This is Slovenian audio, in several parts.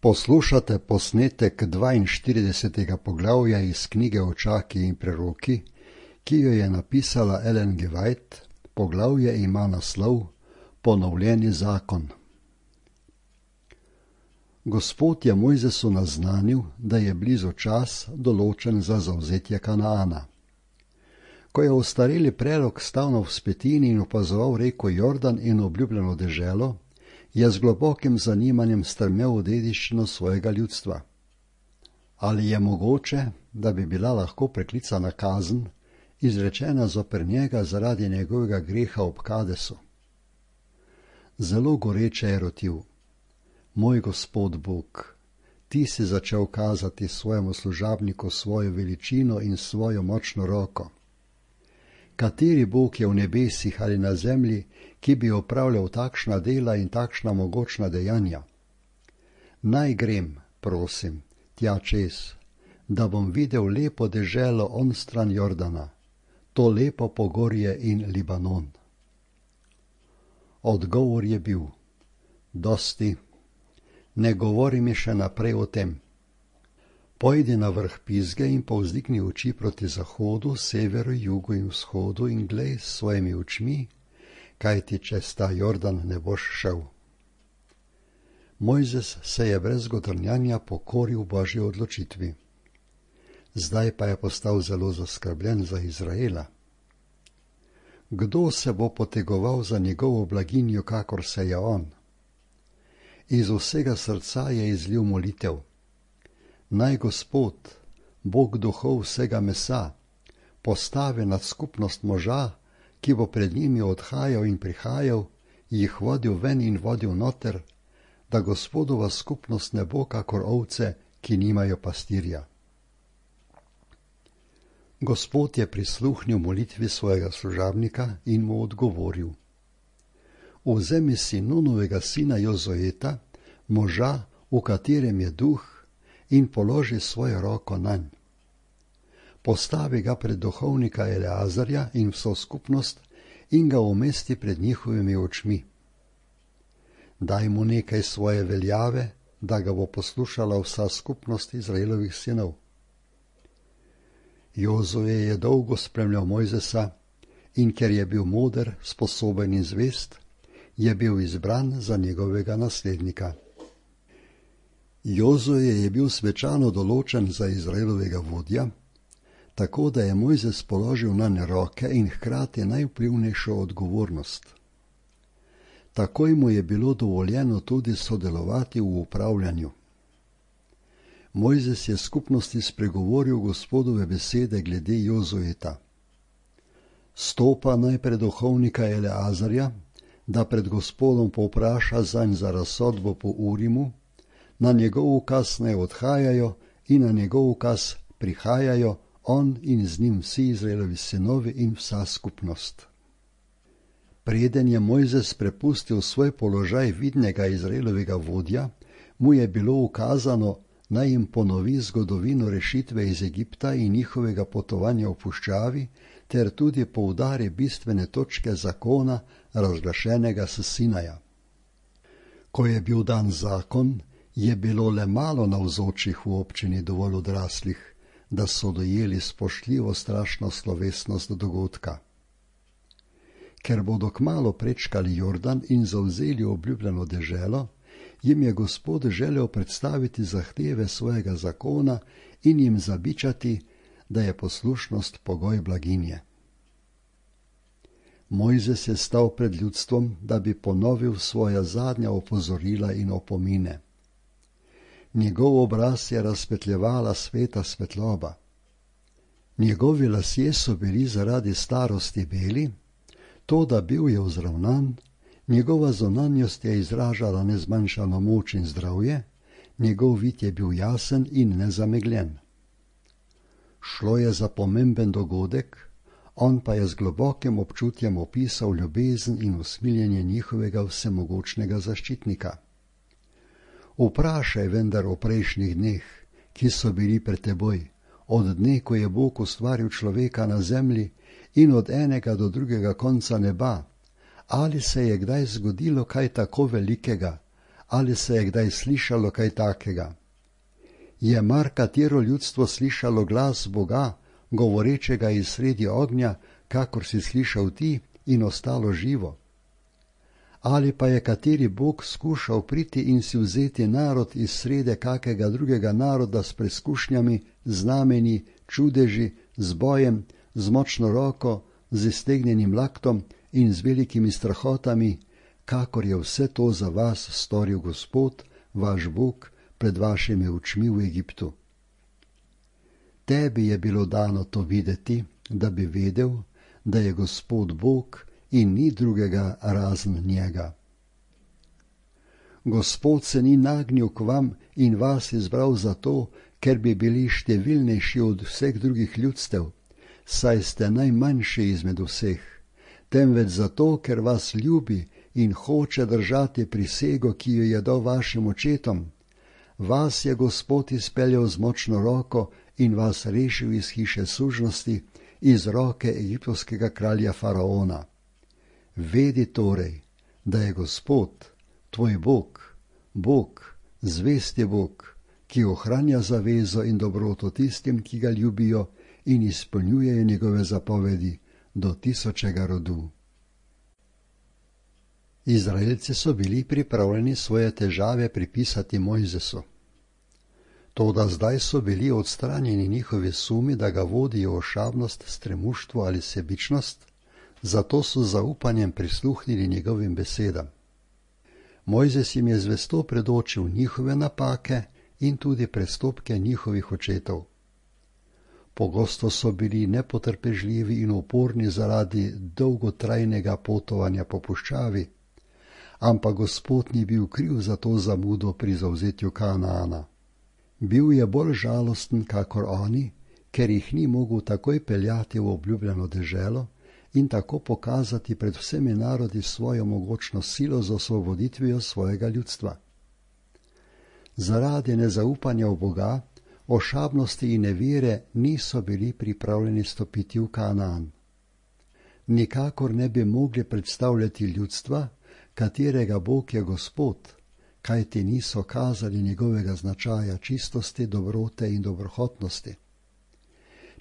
Poslušate posnetek 42. poglavja iz knjige Očaki in preroki, ki jo je napisala Ellen G. White. Poglavje ima naslov Ponovljeni zakon. Gospod je Mojzesu naznanil, da je blizu čas, določen za zavzetje Kanaana. Ko je ostareli prerok stal na vzpetini in opazoval reko Jordan in obljubljeno deželo, je z globokim zanimanjem strmel v dediščino svojega ljudstva. Ali je mogoče, da bi bila lahko preklicana kazen, izrečena zoper njega zaradi njegovega greha ob Kadesu? Zelo goreče je rotil: Moj Gospod Bog, ti si začel kazati svojemu služabniku svojo veličino in svojo močno roko. Kateri Bog je v nebesih ali na zemlji, ki bi opravljal takšna dela in takšna mogočna dejanja? Naj grem, prosim, tja čez, da bom videl lepo deželo onstran Jordana, to lepo pogorje in Libanon. Odgovor je bil: dosti, ne govori mi še naprej o tem. Pojdi na vrh Pizge in povzdigni oči proti zahodu, severu, jugu in vzhodu in glej s svojimi očmi, kajti čez ta Jordan ne boš šel. Mojzes se je brez godrnjanja pokoril Božji odločitvi. Zdaj pa je postal zelo zaskrbljen za Izraela. Kdo se bo potegoval za njegovo blaginjo, kakor se je on? Iz vsega srca je izlil molitev: Naj Gospod, Bog duhov vsega mesa, postavi nad skupnost moža, ki bo pred njimi odhajal in prihajal, jih vodil ven in vodil noter, da Gospodova skupnost ne bo kakor ovce, ki nimajo pastirja. Gospod je prisluhnil molitvi svojega služabnika in mu odgovoril: Vzemi si Nunovega sina Jozueta, moža, v katerem je duh, in položi svojo roko nanj. Postavi ga pred duhovnika Eleazarja in vso skupnost in ga umesti pred njihovimi očmi. Daj mu nekaj svoje veljave, da ga bo poslušala vsa skupnost Izraelovih sinov. Jozue je dolgo spremljal Mojzesa in ker je bil moder, sposoben in zvest, je bil izbran za njegovega naslednika. Jozue je bil svečano določen za Izraelovega vodja, tako da je Mojzes položil nanj roke in hkrati najvplivnejšo odgovornost. Takoj mu je bilo dovoljeno tudi sodelovati v upravljanju. Mojzes je skupnosti spregovoril Gospodove besede glede Jozueta. Stopa naj pred duhovnika Eleazarja, da pred Gospodom povpraša zanj za razsodbo po Urimu, na njegov ukaz naj odhajajo in na njegov ukaz prihajajo on in z njim vsi Izraelovi sinovi in vsa skupnost. Preden je Mojzes prepustil svoj položaj vidnega Izraelovega vodja, mu je bilo ukazano, naj jim ponovi zgodovino rešitve iz Egipta in njihovega potovanja v puščavi, ter tudi poudari bistvene točke zakona, razglašenega s Sinaja. Ko je bil dan zakon, je bilo le malo navzočih v občini dovolj odraslih, da so dojeli spoštljivo strašno slovesnost dogodka. Ker bodo kmalu prečkali Jordan in zavzeli obljubljeno deželo, jim je Gospod želel predstaviti zahteve svojega zakona in jim zabičati, da je poslušnost pogoj blaginje. Mojzes je stal pred ljudstvom, da bi ponovil svoja zadnja opozorila in opomine. Njegov obraz je razsvetljevala sveta svetloba. Njegovi lasje so bili zaradi starosti beli, toda bil je vzravnan, njegova zunanjost je izražala nezmanjšano moč in zdravje, njegov vid je bil jasen in nezamegljen. Šlo je za pomemben dogodek, on pa je z globokim občutjem opisal ljubezen in usmiljenje njihovega vsemogočnega zaščitnika. Vprašaj vendar o prejšnjih dneh, ki so bili pred teboj, od dne, ko je Bog ustvaril človeka na zemlji in od enega do drugega konca neba, ali se je kdaj zgodilo kaj tako velikega, Ali se je kdaj slišalo kaj takega? Je mar katero ljudstvo slišalo glas Boga, govorečega iz sredi ognja, kakor si slišal ti, in ostalo živo? Ali pa je kateri Bog skušal priti in si vzeti narod iz srede kakega drugega naroda s preskušnjami, znamenji, čudeži, z bojem, z močno roko, z iztegnjenim laktom in z velikimi strahotami, kakor je vse to za vas storil Gospod, vaš Bog, pred vašimi očmi v Egiptu? Tebi je bilo dano to videti, da bi vedel, da je Gospod Bog in ni drugega razen njega. Gospod se ni nagnil k vam in vas izbral zato, ker bi bili številnejši od vseh drugih ljudstev, saj ste najmanjši izmed vseh, temveč zato, ker vas ljubi in hoče držati prisego, ki jo je dal vašim očetom. Vas je Gospod izpeljal z močno roko in vas rešil iz hiše sužnosti, iz roke egiptovskega kralja faraona. Vedi torej, da je Gospod, tvoj Bog, Bog, zvesti Bog, ki ohranja zavezo in dobroto tistim, ki ga ljubijo in izpolnjujejo njegove zapovedi do tisočega rodu. Izraelci so bili pripravljeni svoje težave pripisati Mojzesu. Toda zdaj so bili odstranjeni njihovi sumi, da ga vodijo ošabnost, stremuštvo ali sebičnost, zato so z zaupanjem prisluhnili njegovim besedam. Mojzes jim je zvesto predočil njihove napake in tudi prestopke njihovih očetov. Pogosto so bili nepotrpežljivi in uporni zaradi dolgotrajnega potovanja po puščavi, ampak Gospod ni bil kriv za to zamudo pri zavzetju Kanaana. Bil je bolj žalosten kakor oni, ker jih ni mogel takoj peljati v obljubljeno deželo in tako pokazati pred vsemi narodi svojo mogočno silo z osvoboditvijo svojega ljudstva. Zaradi nezaupanja v Boga, ošabnosti in nevire niso bili pripravljeni stopiti v Kanaan. Nikakor ne bi mogli predstavljati ljudstva, katerega Bog je Gospod, kajti niso kazali njegovega značaja čistosti, dobrote in dobrohotnosti.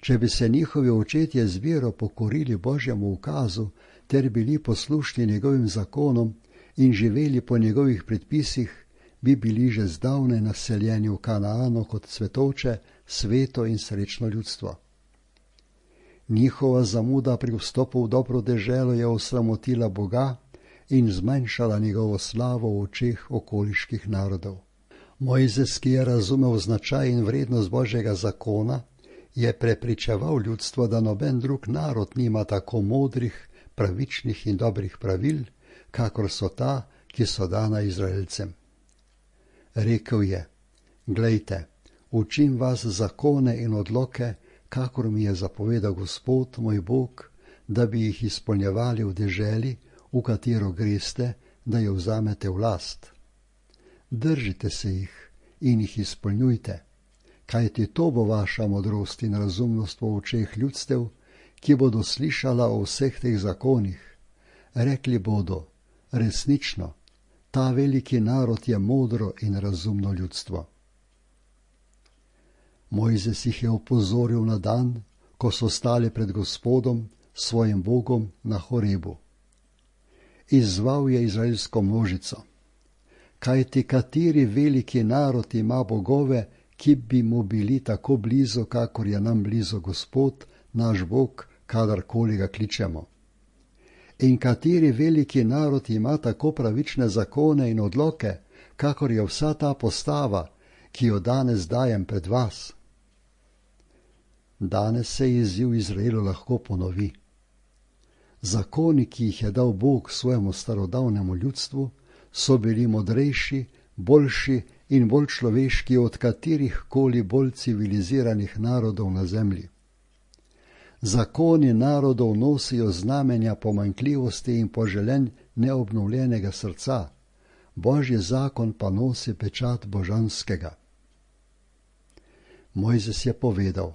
Če bi se njihovi očetje z vero pokorili Božjemu ukazu ter bili poslušni njegovim zakonom in živeli po njegovih predpisih, bi bili že zdavnaj naseljeni v Kanaanu kot cvetovče, sveto in srečno ljudstvo. Njihova zamuda pri vstopu v dobro deželo je osramotila Boga in zmanjšala njegovo slavo v očeh okoliških narodov. Mojzes, ki je razumel značaj in vrednost Božjega zakona, je prepričeval ljudstvo, da noben drug narod nima tako modrih, pravičnih in dobrih pravil, kakor so ta, ki so dana Izraelcem. Rekel je: Glejte, učim vas zakone in odloke, kakor mi je zapovedal Gospod, moj Bog, da bi jih izpolnjevali v deželi, v katero greste, da jo vzamete v last. Držite se jih in jih izpolnjujte, kajti to bo vaša modrost in razumnost v očeh ljudstev, ki bodo slišala o vseh teh zakonih. Rekli bodo: resnično, ta veliki narod je modro in razumno ljudstvo. Mojzes jih je opozoril na dan, ko so stali pred Gospodom, svojim Bogom, na Horebu. Izzval je izraelsko množico: kajti kateri veliki narod ima bogove, ki bi mu bili tako blizu, kakor je nam blizu Gospod, naš Bog, kadarkoli ga kličemo? In kateri veliki narod ima tako pravične zakone in odloke, kakor je vsa ta postava, ki jo danes dajem pred vas? Danes se izziv Izraelu lahko ponovi. Zakoni, ki jih je dal Bog svojemu starodavnemu ljudstvu, so bili modrejši, boljši in bolj človeški od katerih koli bolj civiliziranih narodov na zemlji. Zakoni narodov nosijo znamenja pomanjkljivosti in poželenj neobnovljenega srca, Božji zakon pa nosi pečat božanskega. Mojzes je povedal: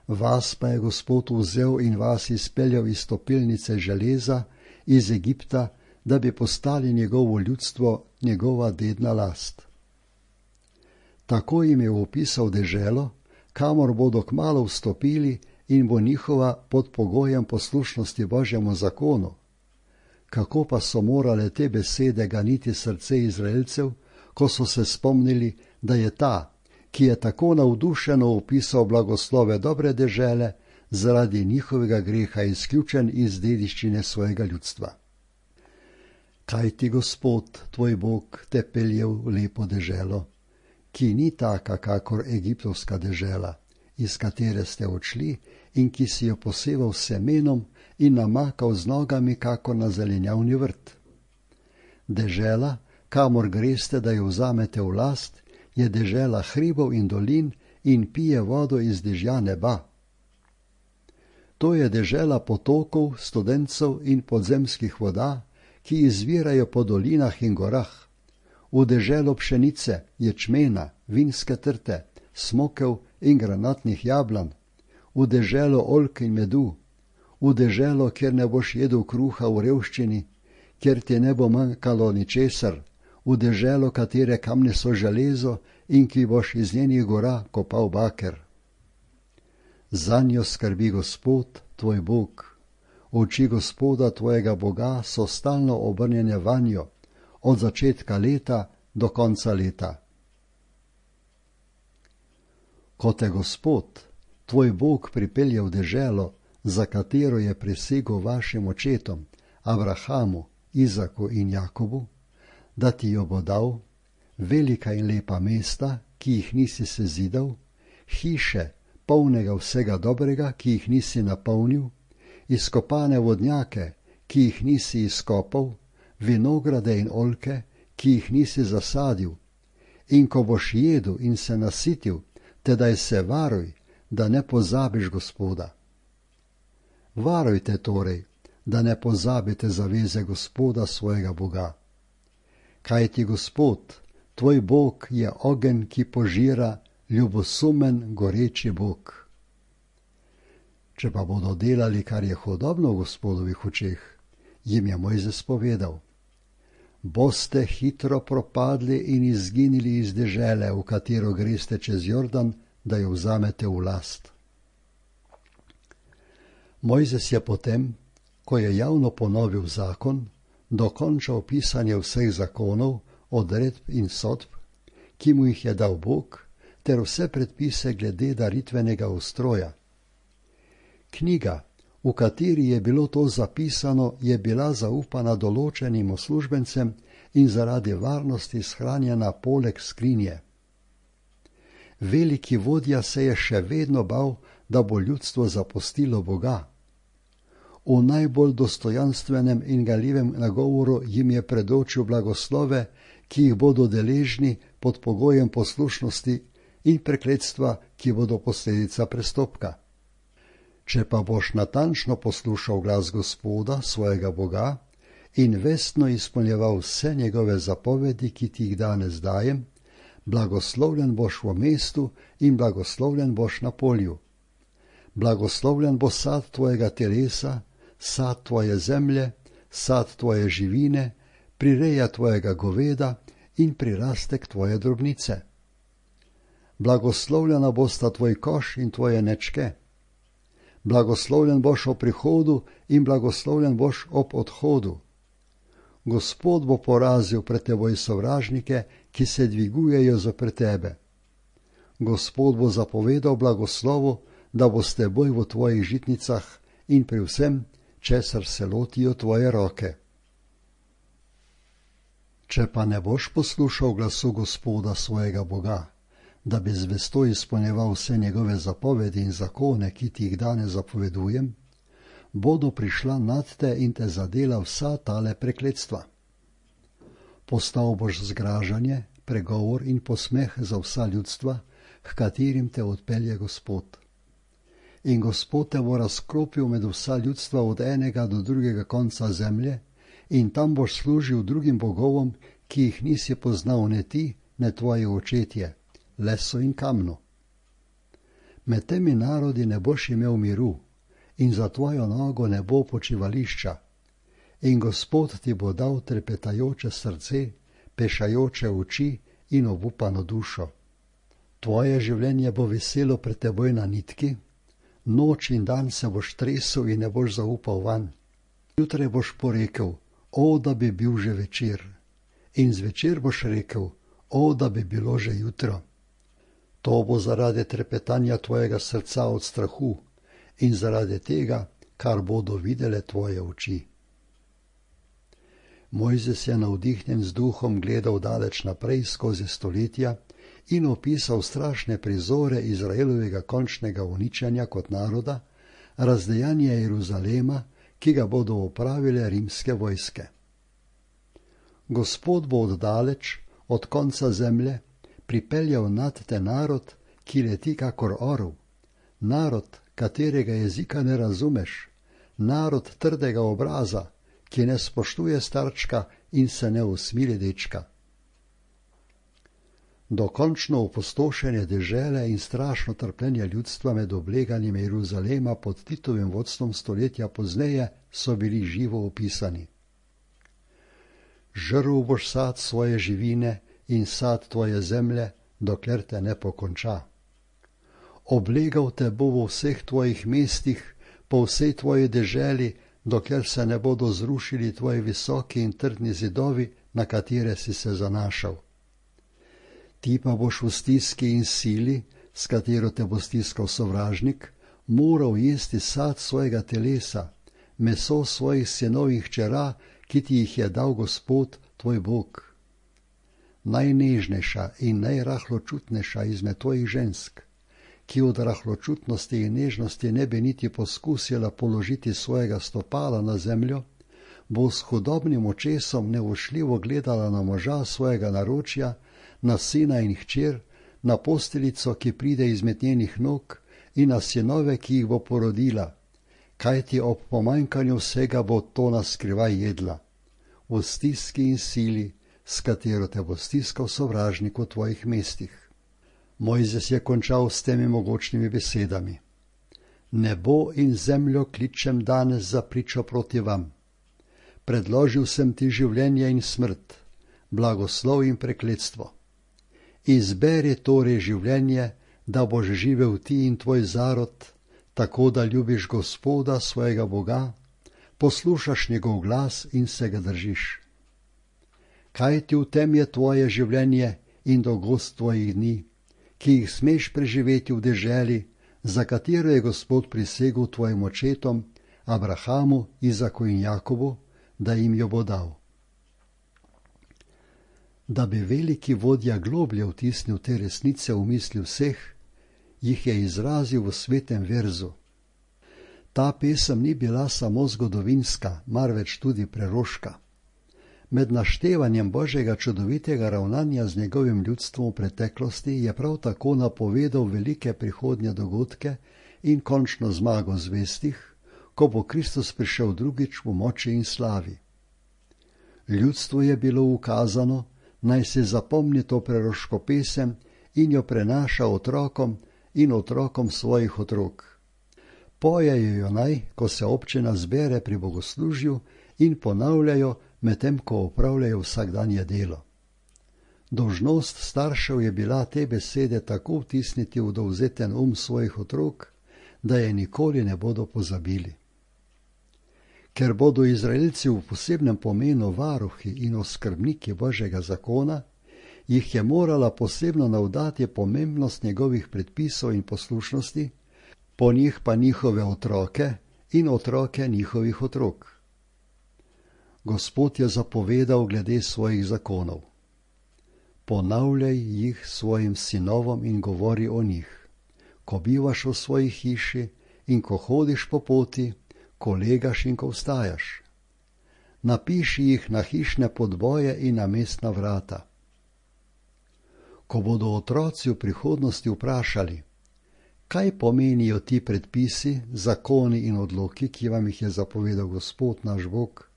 vas pa je Gospod vzel in vas izpeljal iz topilnice železa, iz Egipta, da bi postali njegovo ljudstvo, njegova dedna last. Tako jim je opisal deželo, kamor bodo kmalu vstopili in bo njihova pod pogojem poslušnosti Božjemu zakonu. Kako pa so morale te besede ganiti srce Izraelcev, ko so se spomnili, da je ta, ki je tako navdušeno opisal blagoslove dobre dežele, zaradi njihovega greha izključen iz dediščine svojega ljudstva. Kaj ti Gospod, tvoj Bog, te pelje v lepo deželo, ki ni taka kakor egiptovska dežela, iz katere ste odšli in ki si jo poseval s semenom in namakal z nogami kakor na zelenjavni vrt. Dežela, kamor greste, da jo vzamete v last, je dežela hribov in dolin in pije vodo iz dežja neba. To je dežela potokov, studencev in podzemskih voda, ki izvirajo po dolinah in gorah. V deželo pšenice, ječmena, vinske trte, smokev in granatnih jablan, v deželo oljk in medu, v deželo, kjer ne boš jedel kruha v revščini, kjer ti ne bo manjkalo ničesar, v deželo, katere kamne so železo in ki boš iz njenih gora kopal baker. Zanjo skrbi Gospod, tvoj Bog. Oči Gospoda, tvojega Boga, so stalno obrnjene vanjo, od začetka leta do konca leta. Ko te Gospod, tvoj Bog, pripelje v deželo, za katero je prisegel vašim očetom, Abrahamu, Izaku in Jakobu, da ti jo bo dal, velika in lepa mesta, ki jih nisi sezidal, hiše, polnega vsega dobrega, ki jih nisi napolnil, izkopane vodnjake, ki jih nisi izkopal, vinograde in oljke, ki jih nisi zasadil. In ko boš jedel in se nasitil, tedaj se varuj, da ne pozabiš Gospoda. Varujte torej, da ne pozabite zaveze Gospoda svojega Boga. Kajti Gospod, tvoj Bog, je ogenj, ki požira, ljubosumen, goreči Bog. Če pa bodo delali, kar je hudobno v Gospodovih očeh, jim je Mojzes povedal: boste hitro propadli in izginili iz dežele, v katero greste čez Jordan, da jo vzamete v last. Mojzes je potem, ko je javno ponovil zakon, dokončal pisanje vseh zakonov, odredb in sodb, ki mu jih je dal Bog, ter vse predpise glede daritvenega ustroja. Knjiga, v kateri je bilo to zapisano, je bila zaupana določenim uslužbencem in zaradi varnosti shranjena poleg skrinje. Veliki vodja se je še vedno bal, da bo ljudstvo zapustilo Boga. V najbolj dostojanstvenem in galjivem nagovoru jim je predočil blagoslove, ki jih bodo deležni pod pogojem poslušnosti, in prekletstva, ki bodo posledica prestopka. Če pa boš natančno poslušal glas Gospoda, svojega Boga, in vestno izpolnjeval vse njegove zapovedi, ki ti jih danes dajem, blagoslovljen boš v mestu in blagoslovljen boš na polju. Blagoslovljen bo sad tvojega telesa, sad tvoje zemlje, sad tvoje živine, prireja tvojega goveda in prirastek tvoje drobnice. Blagoslovljena bosta tvoj koš in tvoje nečke. Blagoslovljen boš ob prihodu in blagoslovljen boš ob odhodu. Gospod bo porazil pred teboj sovražnike, ki se dvigujejo zoper tebe. Gospod bo zapovedal blagoslovu, da bo s teboj v tvojih žitnicah in pri vsem, česar se lotijo tvoje roke. Če pa ne boš poslušal glasu Gospoda svojega Boga, da bi zvesto izpolnjeval vse njegove zapovedi in zakone, ki ti jih danes zapovedujem, bodo prišla nad te in te zadela vsa tale prekletstva. Postal boš zgražanje, pregovor in posmeh za vsa ljudstva, h katerim te odpelje Gospod. In Gospod te bo razkropil med vsa ljudstva od enega do drugega konca zemlje, in tam boš služil drugim bogovom, ki jih nisi poznal ne ti, ne tvoji očetje, lesu in kamnu. Med temi narodi ne boš imel miru, in za tvojo nogo ne bo počivališča. In Gospod ti bo dal trepetajoče srce, pešajoče oči in obupano dušo. Tvoje življenje bo veselo pred teboj na nitki, noč in dan se boš tresel in ne boš zaupal vanj. Jutraj boš porekel, o, da bi bil že večer, in zvečer boš rekel, o, da bi bilo že jutro. To bo zaradi trepetanja tvojega srca od strahu in zaradi tega, kar bodo videle tvoje oči. Mojzes je navdihnjen z duhom gledal daleč naprej skozi stoletja in opisal strašne prizore Izraelovega končnega uničenja kot naroda, razdejanje Jeruzalema, ki ga bodo opravile rimske vojske. Gospod bo oddaleč, od konca zemlje, pripeljal nad te narod, ki leti kakor orel, narod, katerega jezika ne razumeš, narod trdega obraza, ki ne spoštuje starčka in se ne usmili dečka. Dokončno opustošenje dežele in strašno trpljenje ljudstva med obleganjem Jeruzalema pod Titovim vodstvom stoletja pozneje so bili živo opisani. Žrl boš sad svoje živine in sad tvoje zemlje, dokler te ne pokonča. Oblegal te bo v vseh tvojih mestih, po vsej tvoji deželi, dokler se ne bodo zrušili tvoji visoki in trdni zidovi, na katere si se zanašal. Ti pa boš v stiski in sili, s katero te bo stiskal sovražnik, moral jesti sad svojega telesa, meso svojih sinov in hčera, ki ti jih je dal Gospod, tvoj Bog. Najnežnejša in najrahločutnejša izmed tvojih žensk, ki od rahločutnosti in nežnosti ne bi niti poskusila položiti svojega stopala na zemljo, bo s hudobnim očesom nevošljivo gledala na moža svojega naročja, na sina in hčer, na posteljico, ki pride izmed njenih nog, in na sinove, ki jih bo porodila, kajti ob pomanjkanju vsega bo to naskrivaj jedla, v stiski in sili, s katero te bo stiskal sovražnik v tvojih mestih. Mojzes je končal s temi mogočnimi besedami. Nebo in zemljo kličem danes za pričo proti vam. Predložil sem ti življenje in smrt, blagoslov in prekletstvo. Izberi torej življenje, da boš živel ti in tvoj zarod, tako da ljubiš Gospoda, svojega Boga, poslušaš njegov glas in se ga držiš. Kaj ti v tem je tvoje življenje in dolgost tvojih dni, ki jih smeš preživeti v deželi, za katero je Gospod prisegel tvojim očetom, Abrahamu, Izaku in Jakobu, da jim jo bo dal. Da bi veliki vodja globlje vtisnil te resnice v misli vseh, jih je izrazil v svetem verzu. Ta pesem ni bila samo zgodovinska, marveč tudi preroška. Med naštevanjem Božjega čudovitega ravnanja z njegovim ljudstvom v preteklosti je prav tako napovedal velike prihodnje dogodke in končno zmago zvestih, ko bo Kristus prišel drugič v moči in slavi. Ljudstvu je bilo ukazano, naj se zapomni to preroško pesem in jo prenaša otrokom in otrokom svojih otrok. Pojejo jo naj, ko se občina zbere pri bogoslužju, in ponavljajo, medtem ko opravljajo vsakdanje delo. Dolžnost staršev je bila te besede tako vtisniti v dovzeten svojih otrok, da je nikoli ne bodo pozabili. Ker bodo Izraelci v posebnem pomenu varuhi in oskrbniki Božjega zakona, jih je morala posebno navdati pomembnost njegovih predpisov in poslušnosti, po njih pa njihove otroke in otroke njihovih otrok. Gospod je zapovedal glede svojih zakonov. Ponavljaj jih svojim sinovom in govori o njih, ko bivaš v svoji hiši in ko hodiš po poti, ko legaš in ko vstajaš. Napiši jih na hišne podboje in na mestna vrata. Ko bodo otroci v prihodnosti vprašali, kaj pomenijo ti predpisi, zakoni in odloki, ki vam jih je zapovedal Gospod naš Bog,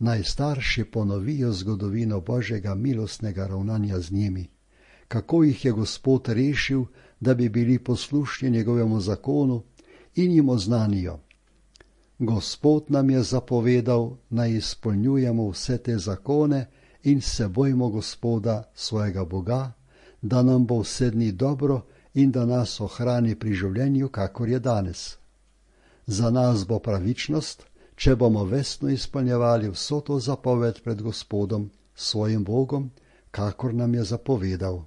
naj starši ponovijo zgodovino Božjega milostnega ravnanja z njimi, kako jih je Gospod rešil, da bi bili poslušni njegovemu zakonu, in jim oznanijo: Gospod nam je zapovedal, naj izpolnjujemo vse te zakone in se bojmo Gospoda, svojega Boga, da nam bo vse dni dobro in da nas ohrani pri življenju, kakor je danes. Za nas bo pravičnost, če bomo vestno izpolnjevali vso to zapoved pred Gospodom, svojim Bogom, kakor nam je zapovedal.